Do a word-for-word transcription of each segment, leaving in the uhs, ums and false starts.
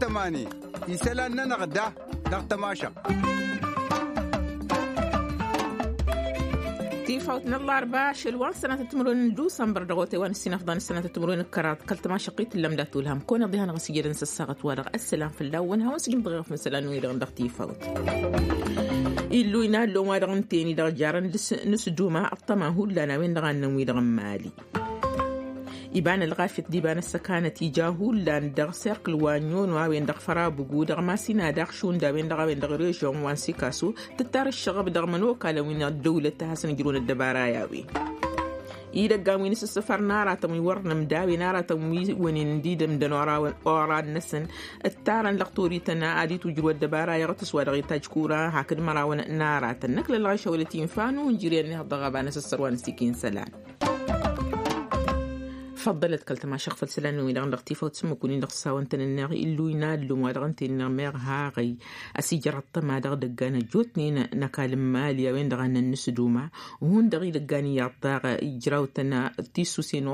Tămani isălan-nănăɣ da dăɣ-tămašăɣt. Tifawt n-ăllarba ašăl wa n-sănatăt timǝrwen n-dusămbăr dăɣ-otay wa n-ăssinăfḍan n-sănatăt timǝrwen n-kăraḍ kăl-tămašăqqit n-lămda tulhăm kăwăn-iḍihan ɣas ijădăn s-ăssaɣăt-wa-dăɣ ăssălam fălla-wăn hawăn-sǝjǝm dăɣ-iɣăf n-isălan-wi-dăɣ dăɣ-tifawt. Illu inallon wa-dăɣ ǝnta-en-i-dăɣ jarăn dăɣ-s nǝsduma ăṭṭăma hullan a-wen-dăɣ a ǝnnăn wi-dăɣ n-mali. Iba n-ălɣafyăt d-iba n-ăssăkanăt ija hullan dăɣ-serkǝl wa n-iyyăno a-wen-dăɣ fărabugu dăɣ-masina daɣ šund a-wen-dăɣ a-wen-dăɣ režion wa n-sikaso tǝttar ǝššăɣăb dăɣ-imănokalăn wi n-ăddăwlăt a hasăn-ǝjrǝwăn ăddăbara i-a-wen. Idăggan wi n-asǝssǝfăr n-aratăn wi wăr nǝmda a-wen aratăn wi wănen d-idǝmdăn oran-năsăn ǝttarăn dăɣ-torităn ad-itwǝjrǝw ăddăbara iɣtǝs wa dăɣ-itajj kura hakd mărawăn n-aratăn năkk lălɣayša wăla tinfa n-unjǝryan n-ihăḍ dăɣ-aba n-asǝssăr wa n-asikǝy n-isălan. Făḍḍălăt kăl-tămašăɣt făll-isălan-wi-dăɣ dăɣ-tifawt s-ǝmmǝk-win-dăɣ s-hawăn-tăn-ǝnneɣ illu inallun wa dăɣ-ǝnta-en-ănneɣ meɣ haɣăy. Ăsijăr ăṭṭăma dăɣ-idăggan ăjjootnen n-ăkall n-mali a-wen-dăɣ a ǝnnăn nǝsduma hundăɣ idăggan iyyăḍ daɣ ijraw-tăn tisusen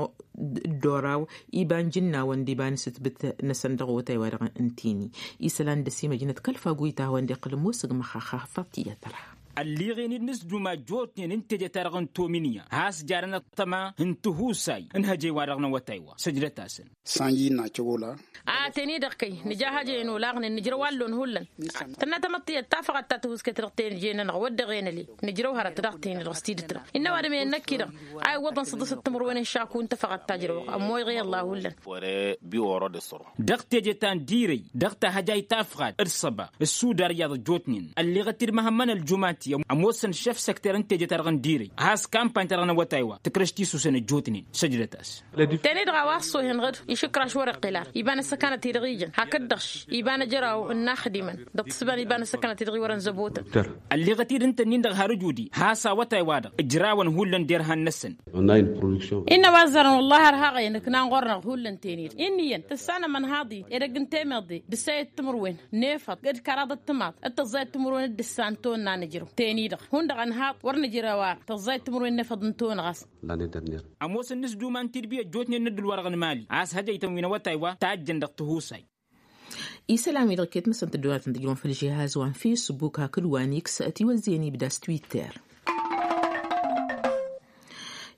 d-oraw iba n-jǝnnawăn d-iba n-asǝtbǝt-năsăn dăɣ-otay wa dăɣ-ǝnta-en-i. Isălan d-ăsimăjnăt kăl-fagoyt a hawăn-dd-iqqǝl ămoos ǝgmăx axafăt i-ad-tăra. Ălliɣen-dd nǝsduma ăjjootnen n-teje-ta-dăɣ n-tominya has-jarăn ăṭṭăma n-tihusay n-hăjăy-wa-dăɣ n-awătay wa săjdăt-asăn. Sanji n-acăwăla. A teni-dăɣ kăy nǝja hăjăyăn olaɣnen nǝjrăw allon hullan. Tǝnna tamăḍt tiyyăt tafăɣăt ta tihusket dăɣ-teje-nănăɣ wădden ălin nǝjrăw hărăt dăɣ-teni-dăɣ s-tidǝt-dăɣ innă ăwadǝm-en năkk-i-dăɣ a iwwăḍăn săḍǝsăt timǝrwen n-šaku n-tafăɣăt ta ǝjrăwăɣ ămmoyăɣ i-ălla hullan. Dăɣ-teje ta n-dirăy dăɣ-tahăjayt tafɣat d-săba ăssudar iyyăḍ ăjjootnen ălleɣăt-dd măhămmăn ăljumati ămoosăn šef săkter n-teje-ta-dăɣ n-dirăy has-kampany-ta-dăɣ n-awătay wa tǝkrăš tisusen ăjjootnen săjdăt-as. Teni-dăɣ a-wa ăṣṣohen ɣǝd išǝkraš wăr-iqqǝl ara iba n-ăssăkanăt-i-dăɣ ijăn hakd-dăɣ iba n-ajăraw n-inaxdimăn dăɣ-tǝssǝba n-iba n-ăssăkanăt-i-dăɣ iwărăn zăbotăn. Ălleɣăt-dd ǝnta-nin-dăɣ har ǝjudi has-awătay-wa-dăɣ ǝjrawăn hullan derhan-năsăn. Innă wa ăzzarăn wăllah har haɣăyăn ǝknan ɣur-năɣ hullan teni-dăɣ inn'-iyyăn tǝssanăm ănhaḍ-in edăgg n-temeḍe d-ǝssayăt timǝrwen n-efăḍ d-kăraḍăt timaḍ d-tăẓẓayăt timǝrwen d-ǝssan tonna nǝjrăw teni-dăɣ hundăɣ ănhaḍ wăr nǝjrăw ara tăẓẓayăt timǝrwen n-efăḍ n-tonna ɣas. Ămoosăn nǝsduma n-tidbi ăjjootnen n-ǝddǝl-wa-dăɣ n-mali a-s hăjăy-tăn wi n-awătay wa tajjăn dăɣ-tihusay. Isălan-wi-dăɣ iket-năsăn tăddonatăn tǝjrǝwăn făll-žihaz wa n-fisbuk hakd wa n-iks ătiwăzzeyăn ibda s-twitter.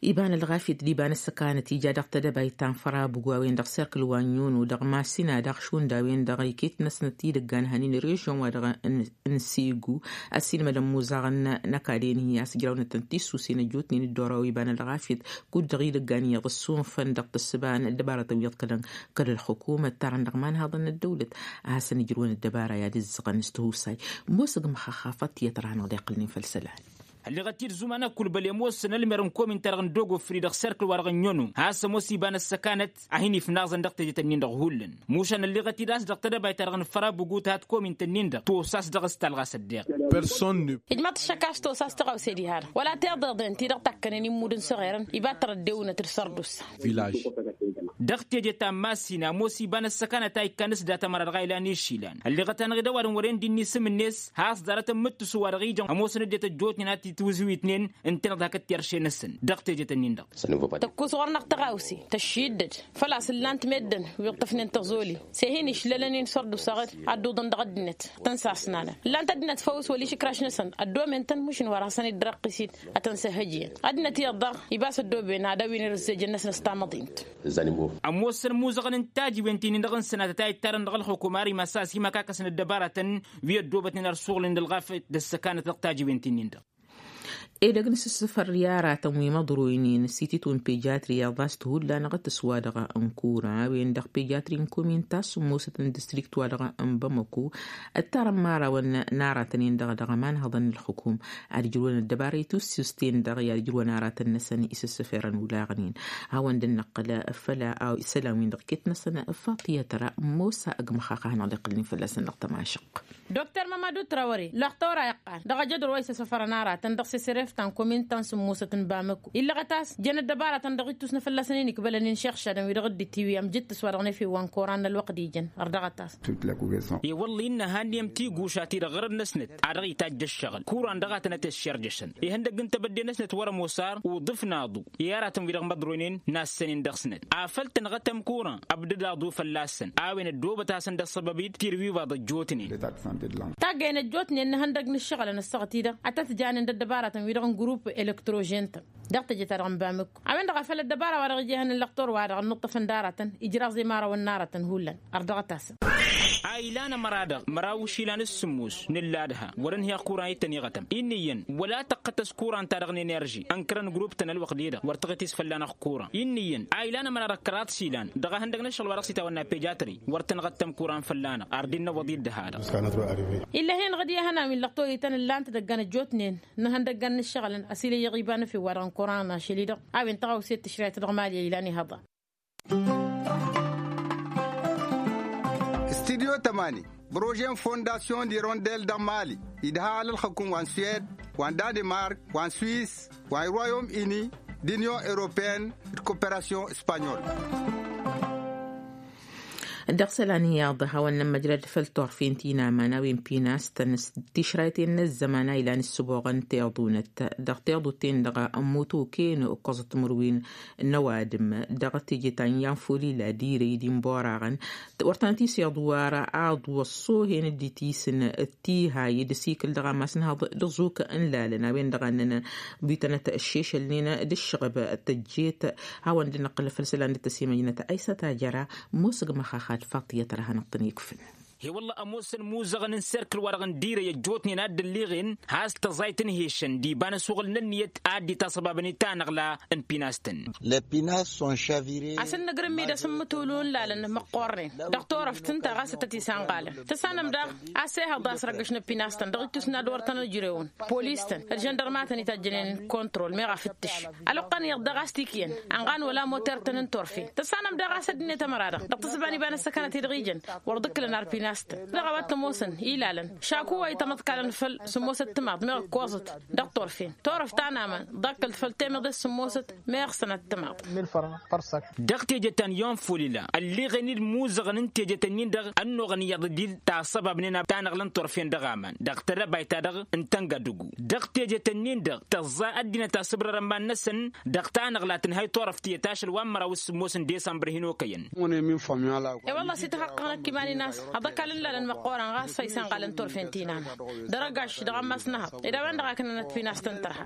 Iba n-ălɣafyăt d-iba n-ăssăkanăt ija dăɣ-tedăbayt ta n-fărabugu a-wen-dăɣ serkǝl wa n-iyyăno dăɣ-masina daɣ šund a-wen-dăɣ iket-năsnăt idăggan hănin režion wa dăɣ-n n-sigu ăsiilmădăn muzaɣăn n-ăkall-en-hi a-s ǝjrawnăt-tăn tisusen ăjjootnen d-oraw iba n-ălɣafyăt kud-dăɣ idăggan iyyăḍ ăssunfăn dăɣ-tǝssǝba n-ăddăbarătăn wi iḍkălăn kăl-ălxukum ăttarăn dăɣ-imanhaḍăn n-ăddăwlăt a hasăn-ǝjrǝwăn ăddăbara i-ad-ǝzzăɣăn s-tihusay. Ămoos ăgg măxaxafăt tiyyăt ra hanăɣ-dd-iqqǝlnen făll-isălan. Ălleɣăt-dd zuman ăkkulbăl i-ămoosăn ălmer n-komin-ta-dăɣ n-dogofri dăɣ-serkǝl wa dăɣ-ănniăno has-ămoos iba n-ăssăkanăt a hin-ifnaẓăn dăɣ-tejet-ǝnnin-dăɣ hullan. Mušan ălleɣăt-dd a-s dăɣ-tedăbayt-ta-dăɣ n-fărabǝgut hat komint-ǝnnin-dăɣ tosas dăɣ-s talɣas ăddeɣ. Ijmaḍ-t ăššăk a-s tosas tăɣawse diha-dăɣ wăla tiḍeḍen ti-dăɣ takkănen immud n-săɣerăn iba tărăddewǝnăt d-sărdusa. Dăɣ-teje ta n-masina ămoos iba n-ăssăkanăt a ikkan s-dat ămăra dăɣ-a ilan išilan ălleɣăt-anăɣ-dd ăwadǝm wăren d-inni isǝm-net has-ḍarăt n-imǝttǝsu wa dăɣ-ijăn ămoosăn ăddinăt ăjjootnen ad-t-itwǝzwitnen ǝntăneḍ hakd terše-năsăn. Dăɣ-teje-tăn-in-dăɣ tăkkus ɣur-năɣ tăɣawse tăššiddăd făl-a-s ǝllan-t meddǝn wi ǝṭṭăfnen tăẓoli s-e-hin-išlălăn-in sărdusa ɣǝd ad-dd-uḍăn dăɣ-ăddinăt tăn-sasnalăn ǝllan-t ăddinăt făw s-wăla išǝkraš-năsăn ăddomen-tăn mušǝn wăr hasăn-dd-răqqis-in ad-tăn-săhhăjjǝyăn ăddinăt iyyăḍ daɣ ibas ăddoben ad-awǝynen ăzzejăn-năsăn s-tamăḍint. Ămoosăn imuzăɣăn n-tajiwen ti-nin-dăɣ n-sănatăt a ittarăn dăɣ-ălxukum ar imas a-s imăkakăsăn ăddăbaratăn wi ăddoobătnen ar suɣǝlnen d-ălɣafyăt d-ăssăkanăt dăɣ-tajiwen ti-nin-dăɣ. Edăgg n-asǝssǝfăr i-aratăn wi măḍroynen s-ititun pejatri i-aḍas t-hullan ɣǝtǝs wa dăɣ-n kura a-wen-dăɣ pejatri n-komin ta s-ămoosăt n-distrikt wa dăɣ-n bamăko ǝttarăn imărawăn n-aratăn-in-dăɣ dăɣ-ămanhăḍăn n-ălxukum ad-ǝjrǝwăn ăddăbara i-tussǝsten-dăɣ i-ad-ǝjrǝwăn aratăn-năsăn isǝssǝferăn ulaɣnen. Hawăn-dd-năqqǝl făll-a isălan-win-dăɣ iket-năsăn faṭiyăt ra n-mosa ăgg măxxax a hanăɣ-dd-iqqǝlnen fălla-săn dăɣ-tămašăq. Dokter mămădu trawăre lăxtor a iqqan dăɣ-ajădru wa isăssăfărăn aratăn dăɣ-s. treftăn komintan s-musăt n-bamăku illăɣăt-as jăn ăddăbaratăn dăɣ-ittus n-afălla săn-in ikbălăn inšăɣšadăn wi dăɣ-dd-itiwi amjǝttǝs wa dăɣ-nefew wa n-koran n-ălwăqq d-ijăn. Ărdăɣăt-as. I-wălla innă hanniyăm tiguša ti-dăɣ ɣărăd-năsnăt a dăɣ-itajj ăššăɣǝl kuran dăɣ-a tănăt-ăššerjăšăn ihăndăgg n-tebădde-năsnăt wăr-ămoos ar uḍǝf n-aḍu i-aratăn wi-dăɣ măḍroynen n-assănen dăɣ-snăt afăl tănɣătăm kuran ăbdăd aḍu fălla-săn a-wen ăddoobăt-asăn dăɣ-săbăb-dd tirwiwaḍ ăjjootnen. Taggăyăn ăjjootnen n-ihăndăgg n-ǝššăɣǝlăn ăssaɣăt-i-dăɣ a tăt-janen d-ăddăbaratăn wi-dăɣ n-grupp elăktrožen-tăn dăɣ-teje-ta-dăɣ n-bamăkku a-wen-dăɣ a făl ăddăbara wa dăɣ-ija ihăn n-lăqtor-wa-dăɣ ănnuṭṭăfăn d-aratăn ijraẓ i-imărawăn n-aratăn hullan. Ărdăɣăt-asăn. A ilan ămăra-dăɣ măraw išilan s-sǝmmos n-ǝlladha wăr-ǝnhǝyăɣ kuran i-tăn-iɣătăm inn'-iyyăn wăla tăqqătăs kuran-ta-dăɣ n-enerži ănkărăn grupp-tăn ălwăqq-de-dăɣ wăr tăɣǝt-isfălla-năɣ kuran inn'-iyyăn a ilan ămăra-dăɣ kăraḍ išilan dăɣ-ehăndăg n-ăššăɣǝl wa dăɣ-s itawănna pejatri wăr tăn-iɣăttăm kuran fălla-năɣ ar dd-innăwwăḍ-i dd-ha-dăɣ. Illa hen-dăɣ d-iyyăhăn a-wen lăqtoyităn ǝllan-t dăggan ăjjootnen n-ihăndăggan n-ǝššăɣǝlăn ăsilăyyăɣ iba n-efew-wa-dăɣ n-kuran n-ašăl-i-dăɣ a-wen tăɣawse d-tǝšrayt dăɣ-mali a ilan ihăḍa. Studyo tămani, brožen fondasyon di rondel dăɣ-mali idha alălxăkun wa n-suwed, wa n-danemark, wa n-swis, wa n-royom ini, d-inyon europeyăn, d-koperasyon spanyol. Dăɣ-isălan iyyăḍ hawăn-nămmăjrăd făll-turfen ti n-aman a-wen pinas-tăn s-tišrayten n-ăzzăman a ilan ǝssǝboɣăn tiḍunăt dăɣ-tiḍut-ten-dăɣ ămmutuken ǝkkoẓăt timǝrwen n-ăwadǝm dăɣ-teje ta n-iyyăn folila dirăy d-inboraɣăn wăr tăn-tiseḍ wăr aḍu ăṣṣohen dd-itisǝn d-tihay d-asikǝl dăɣ-amas n-haḍ d-aẓuk n-lalăn a-wen-dăɣ a ǝnnăn buytănăt ăššešălnen d-ǝššăɣăb tăjjet. Hawăn-dd-năqqǝl făll-isălan d-tăsimăjnăt aysăt ajăra. Musǝg măxaxad faṭiyăt ra hanăɣ-tăn-ikfǝn. He-wălla ămoosăn imuzăɣăn n-serkǝl-wa-dăɣ n-dirăy ăjjootnen a dd-ǝlliɣen has-tăẓayt n-hešăn d-iba n-asuɣǝl n-ǝnniyăt a dd-itasăbabăn i-tanăɣla n-pinas-tăn. Asǝnnăgrǝm-i d-asǝmmǝtulu n-lalăn măqqornen dăɣ-turăft ǝnta ɣas a tăt-isanɣalăn tăssanăm daɣ a-s ehăḍ a-s răggăšna pinas-tăn dăɣ-ittus n-ad-wăr tăn-ăjrewăn polis-tăn d-žăndărma a tăn-itajjănen. Kontrol meɣ afǝttǝš ălwăqq-an iyyăḍ daɣ a-s tikǝyăn ănɣan wăla moter-tăn n-turfen tăssanăm daɣ a-s ăddinăt ămăra-dăɣ dăɣ-tǝssǝba n-iba n-ăssăkănăt-i-dăɣ ijăn wăr dd-ǝkkǝlăn ar pinas-tăn. Dăɣ-a-wa t-ămoosăn ilalăn šaku wa itămăḍkalăn făll-sǝmmosăt timaḍ meɣ ǝkkoẓăt dăɣ-turfen turăft ta n-aman ḍakkălt făll-temeḍe s-sǝmmosăt meɣ sănăt timaḍ. Dăɣ-teje ta n-iyyăn folila ălleɣen-dd imuzăɣăn n-tejet-ǝnnin-dăɣ ănnuɣăn iyyăḍ d-tasăbabnen tanăɣla n-turfen dăɣ-aman dăɣ-tedăbayt-ta-dăɣ n-tăngădǝgu dăɣ-tejet-ǝnnin-dăɣ tăẓẓa ăddinăt asǝbrăr ămman-năsăn dăɣ-tanăɣla tǝnhăy turăft tiyyăt ašăl wa n-măraw s-sǝmmos n-desămbăr hin-okăyăn. E-wălla a-s ităxăqqăɣ năkk iman-in a-s aḍăkal n-ilalăn măqqoorăn ɣas a isănɣalăn turfen ti n-aman dăr-ăgaš dăɣ-ammas n-ehăḍ ed a-wen-dăɣ a kănnănăt pinas-tăn tărha.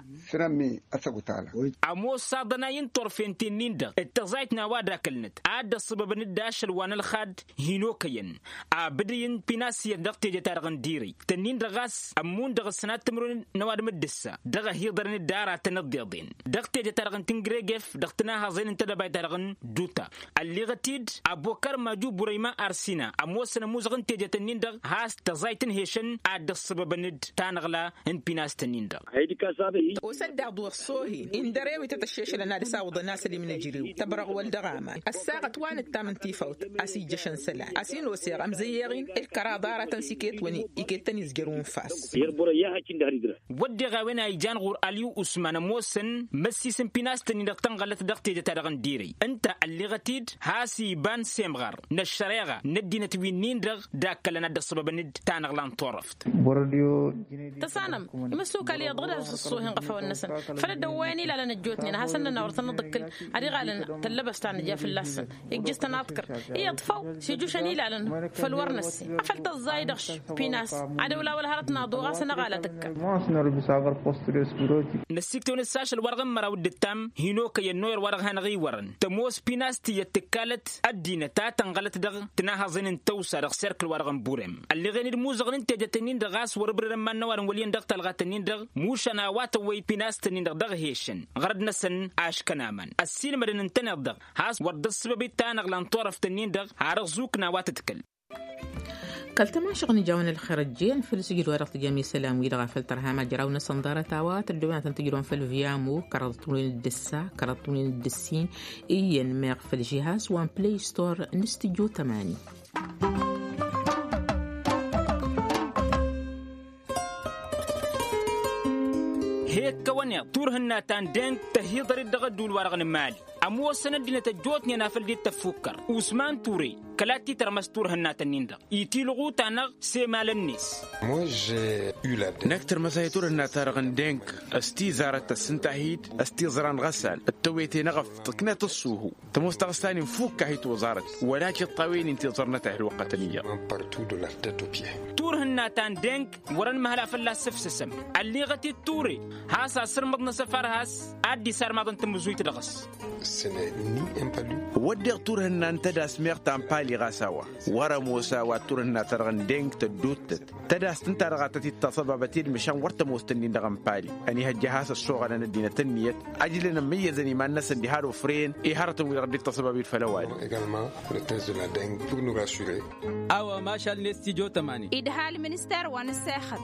Ămoos aḍănay n-turfen ti-nin-dăɣ d-tăẓayt n-a-wa d-akǝlnăt a dd-ăṣṣăbăbăn-dd ašăl wa n-ălxad hin-okăyăn abǝdǝy n-pinas iyyăt dăɣ-teje-ta-dăɣ n-dirăy tǝnnin-dăɣ ɣas ămmun dăɣ-ǝssǝnat timǝrwen n-ăwadǝm d-ǝssa dăɣ-ăhiḍărăn-dd aratăn ǝḍḍeḍen dăɣ-teje-ta-dăɣ n-tǝngrăgef dăɣ-tǝnahăẓen n-tedăbayt-ta-dăɣ n-duta. Ălleɣăt-dd abokar maju burăyma arsina ămoosăn ămuzăɣ n-tejet-ǝnnin-dăɣ has-tăẓayt n-hešăn a dd-ăṣṣăbăbăn-dd tanăɣla n-pinast-ǝnnin-dăɣ. Osăt daɣ d-wăr s-ohen indărew-i tăt-ăššešălăn ad-ăsawăḍăn asălim n-ejărew tăbrăɣwăl dăɣ-aman ăssaɣăt wa nǝttam n-tifawt a-s ijjăšăn isălan a-s inoseɣ amzăyyeɣ-in ǝlkăraḍ aratăn s-iket-wăn iket-tăn izjăr unfas. Wădden a-wen a ijan ɣur-alyu usman ămoosăn măssis n-pinast-ǝnnin-dăɣ tănɣălăt dăɣ-teje-ta-dăɣ n-dirăy ǝnta ălleɣăt-dd has-iba n-semɣar n-ăššăreɣa n-ăddinăt wi-nin-dăɣ d-akkălăn ad-dd-ăṣṣăbăbăn-dd tanăɣla n-turăft. Tăsanăm imăssukal iyyăḍ ɣǝd-as ăṣṣohen ɣăfawăn-năsăn făl dd-ăwwăyăn ilalăn ăjjootnen a hasăn-nănna wăr tăn-dd-ǝkkǝl ad-iɣalăn tăllăbăst ta nǝja fălla-săn. Ijjǝs-tăn aḍkăr iyyăḍ făw s-ijjušăn ilalăn făll-wăr năsse afăl tăẓẓay dăɣ-š pinas ad-ăwla wăla hărăt n-aḍu ɣas ănăɣalăt ǝkka. Năssiktăwăn s-ašăl wa-dăɣ n-măraw d-ǝttam hin-okăyăn n-oyăr wa-dăɣ hanăɣ-iwărăn tămoos pinas tiyyăt tǝkkalăt ăddinăt a tănɣălăt dăɣ-tǝnahăẓen n-tăwsa dăɣ-serkǝl wa-dăɣ n-burem ălleɣen-dd imuzăɣăn n-tejet-ǝnnin-dăɣ ɣas wăr-ǝbrǝrăn iman n-ăwadǝm wăl' iyyăn dăɣ-talɣat-ǝnnin-dăɣ mušan a-wa tăwwăy pinast-ǝnnin-dăɣ dăɣ-hešăn ɣărăd-năsăn aškăn aman ăssiilmădăn ǝntăneḍ-dăɣ has-wăr dd-ăṣṣăbăb i-tanăɣla n-turăft-ǝnnin-dăɣ har ăẓẓukna a-wa tǝdkăl. Kăl-tamašăɣ n-ijawăn ălxer ăjjeen făll-sǝjǝd wa dăɣ-tǝjăm isălan-wi-dăɣ a făl tărha majraw-năsăn ḍarăt a-wa tăddobăn ad-tăn-tǝjrǝwăn făll-viamo kăraḍăt n-win d-ǝssa kăraḍăt n-win d-ǝssin iyyăn meɣ făll-žihaz wa n-play store n-studyo tămani. Ed kăwăn-iḍ turhǝnna ta n-deng tăhiḍăr-dd dăɣ-ădduul-wa-dăɣ n-imali. Ămoosăn ăddinăt ăjjootnen afăl dd-tăffukkăr usman ture kăla t-titărmăs turhǝnna-tăn-in-dăɣ itilɣu-ta-năɣ s-emal-net. Năkk tărmăsay turhǝnna-ta-dăɣ n-deng s-tizarăt tăssǝnta-hi-dd s-tiẓra n-iɣăssan d-tewete n-eɣăf tǝknăt ǝṣṣuhu. Tămoos taɣǝsta-nin fukk-ahi toẓarăt wăla tiṭṭawen-in tiẓrănăt a hi-ălwăqqătăn iyyăḍ. Turhǝnna ta n-deng wăr-ănmăhăla fălla-s sǝfsǝsăm. Ălliɣăt-dd ture has-asǝrmăḍ n-asăfar has-ad-dd-isarmaḍăn tamǝzuyt dăɣ-s. Wădden turhǝnna n-tădas meɣ ta n-pali ɣas a-wa wăr-ămoos a-wa d-turhǝnna-ta-dăɣ n-deng tădduuttăt tădast ǝnta-dăɣ a tăt-dd-taṣăbabăt i-dd măšan wăr tămoos-tăn-in-dăɣ n-pali. Ănihăjja has-ăssoɣălăn ăddinăt ǝnniyăt ăjlăn ămmăyyăzăn iman-năsăn diha d-ofren i-hărătăn wi-dăɣ dd-taṣăbab-dd făll-ăwadǝm. A-wa mašal-net tijo tămani. Idha ălminister wa n-ăssexăt.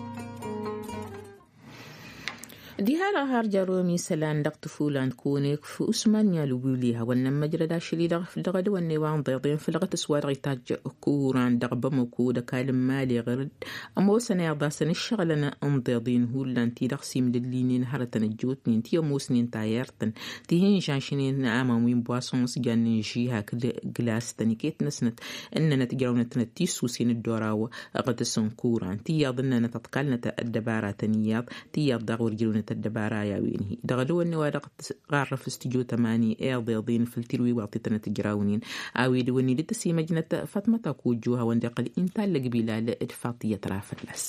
Diha-dăɣ har jăr-omi isălan dăɣ-tǝfulan d-konekf usman n-ialwǝwli hawăn-nămmăjrăd ašăl-i-dăɣ dăɣ-edăwănne wa n-iḍeḍen făll-aɣtǝs wa dăɣ-itajj kuran dăɣ-bamăko d-ăkall n-imali ɣur-dd. Ămoosăn iḍasăn ǝššăɣǝlăn n-iḍeḍen hullan ti-dăɣ s-imdǝllinen hărătăn ăjjootnen ti ămoosnen tayert-tăn ti hin-žašnen aman wi n-bwason s-jannen žihak d-glas-tăn iket-năsnăt ǝnnănăt jărawnăt-tăn d-tisusen d-oraw. Ɣătăs n-kuran ti iyyăḍ ǝnnănăt ăḍkalnăt ăddăbaratăn iyyăḍ ti iyyăḍ daɣ wăr jărawnăt ăddăbara i-a-wen-hi dăɣ-dăwănne wa dăɣ-tărrăf s-tijo tămani iḍeḍen făll-tirwiwaḍ ti tănăt-ǝjrawnen. A-wen dăwănne dd-tăsimăjnăt fatmăt akujju hawăn-dd-iqqăl inta ăllăgbilal d-faṭiyăt ra fălla-s.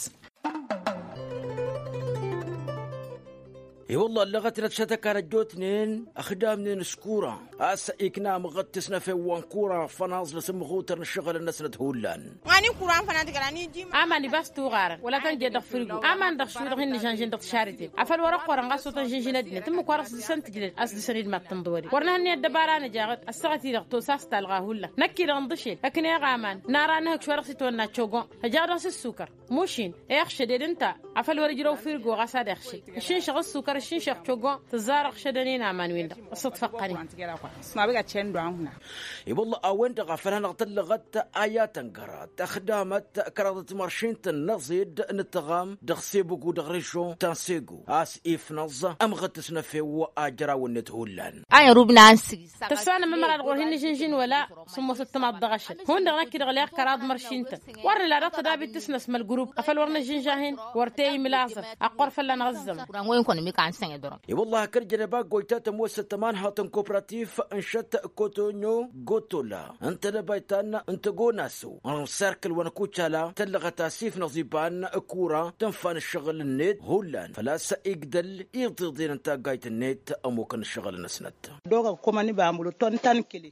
I-wălla ăllăɣăt-năt šătăkan ăjjootnen ăxdamnen s-kura a-s ikna amăɣăt tǝsnăfen wa n-kura fănaẓ n-asǝmmăɣutăr n-ǝššăɣǝlăn-năsnăt hullan. Aman ibas tuɣarăn wăla tăn-jet dăɣ-firgo aman dăɣ-šwi-dăɣ hin-nǝžănžăn dăɣ-tišariten afăl wăr-ăqqurăn ɣas otăn žǝnžǝn ăddinăt ǝmmǝk wa dăɣ-s dăr-săn tǝjlăd a-s dăr-săn idmat tǝnḍăwăded wăr nǝhănnăyăt dăbara nǝja ɣǝd ăssaɣăt-i-dăɣ tosa s-talɣa hullan. Năkk-i-dăɣ ǝnḍǝšel ăkneɣ aman nara nǝhǝkš wa dăɣ-s itwănna cogon ăjaɣ dăɣ-s ǝssukăr. Mušin iɣšăded ǝnta afăl wăr-ǝjrăw firgo ɣas ad-iɣšed ǝššǝnšăɣ ǝssukăr ǝššǝnšăɣ cogon tǝzzar ǝɣšădăn-in aman-win-dăɣ. Ăssăḍfăqqăn-in. I-wălla a-wen-dăɣ a făl hanăɣ-tăllăɣăt ayatăn gărăt ăxdamăt kăraḍăt măršin-tăn n-aẓid n-ǝttăɣam dăɣ-sebugu dăɣ-režon ta n-segu a-s ifnăẓ ămɣăt tǝsnăfew a jăraw-net hullan. Tăssanăm ămăra dăɣ-wăr hin-nǝžǝnžǝn wăla sǝmmos ǝttămaḍ dăɣ-ašăl hundăɣ năkk-i-dăɣ leɣ kăraḍ măršin-tăn. Wăr nǝla dăɣ-tădabit tǝsnăsmăl grup afăl wăr nǝžžǝnža-hin wăr te-imǝl aẓăf. Ăqqur fălla-năɣ ǝzzămăn. I-wălla hakd jănăba gojta tămoosăt tămanhăḍt n-kopratif n-šăt kotonyo gotola n-tedăbayt ta n-tăgonaso n-serkǝl wa n-kucala tăllăɣăt asif n-aẓiban kura tǝnfa n-ǝššăɣǝl-net hullan făl-a-s igdăl iḍeḍen n-taggayt-net ămukăn ǝššăɣǝl-năsnăt.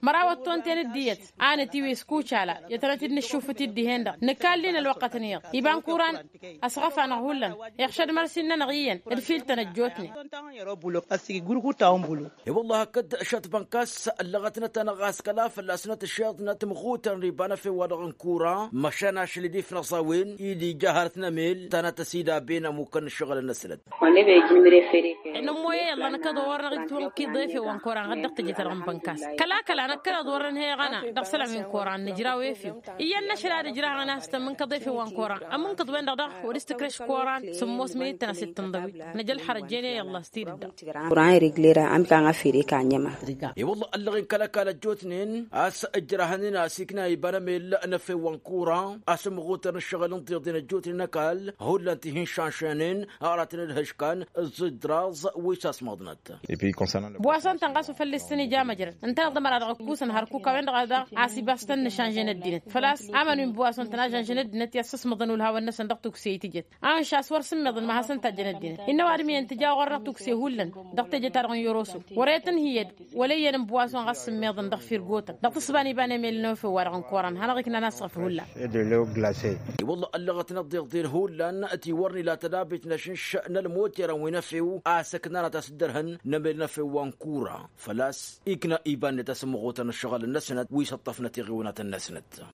Măraw ăttonten dd-iyyăt a nătiwis kucala i-ad-tănăt-dd-nǝššufǝt-dd dihen-dăɣ nǝkallin ălwăqqăt n-iyyăḍ iba n-kuran. Ăsɣăf-anăɣ hullan iɣšăd mărsin-nănăɣ iyyăn d-fil-tăn ăjjootnen. I-wălla hakd šăt bănkas ăllăɣătnăt-anăɣ a-s kăla fălla-snăt ǝššeḍnăt măɣutăn n-iba n-efew-wa-dăɣ n-kura măšan ašăl-i d-ifnăẓ a-wen-i d-ija hărăt n-emel ta n-ad-tăsidabben ămukăn ǝššăɣǝlăn-năsnăt. Nǝmmoy i-ălla năkkăḍ wa wăr năɣ-itwănkiḍ efew wa n-koran ɣǝd-dăɣ tejăt-ta-dăɣ n-bănkas kăla-kăla năkkăneḍ wăr-nǝnhăyăɣ ana dăɣ-isălan wi n-koran nǝjraw efew. Iyyăn n-ašăl ad-ǝjrăhăɣăn a-s tămmǝnkăḍ efew wa n-koran ămmǝnkăḍ-wen-dăɣ daɣ wăr-s tǝkreš koran sǝmmos mǝnit tăn-asit tǝnḍăwit. Năj ălxărăt jene i-ălla s-tidǝdda. Kuran ireglera ămik-anɣa fere ka ănjăma. I-wălla ăllăɣen kăl-ăkall ăjjootnen a-s ǝjrăhăn-in a-s ikna iba n-emel n-efew wa n-kura a-s ămmăɣutăr n-ǝššăɣǝl n-tiḍen ăjjootnen ăkall hullan ti hin-šanšănen aratăn d-hǝškan ǝẓẓǝjraẓ wi s-asmăḍnăt. Buwason-tăn ɣas wa făl-s tăn-ija măjrăd ǝntăneḍ ămăra dăɣ-ǝkkusăn hărkuk a-wen-dăɣ a daɣ a-s ibas tăn-nǝšanžăn ăddinăt făl-a-s aman wi n-buwason-tăn a žănžăn ăddinăt i-ad-săsmăḍăn ulhawăn-năsăn dăɣ-tukse i-tijăt. A ǝnša a-s wăr sǝmmeḍăn ma hasăn-tajjăn ăddinăt innă ăwadǝm iyyăn tǝja ɣur-năɣ tukse hullan dăɣ-teje-ta-dăɣ n-yoroso wăr-e tǝnhǝyăd wăla iyyăn n-buwason ɣas sǝmmeḍăn dăɣ-firgotăn dăɣ-tǝsba n-iba n-emel n-efew-wa-dăɣ n-koran hanăɣ-iknan asɣăf hullan. I-wălla ăllăɣăt n-ăḍḍeḍen hullan ti wăr nǝla tădabit n-ašǝnš n-ălmoterăn wi n-efew a-s ǝknanăt a-s dd-ărhăn n-emel n-efew wa n-kura făl-a-s ikna iba-net a-s ămmăɣutăn ǝššăɣǝl-năsnăt wi s-ǝṭṭăfnăt iɣiwănatăn-năsnăt.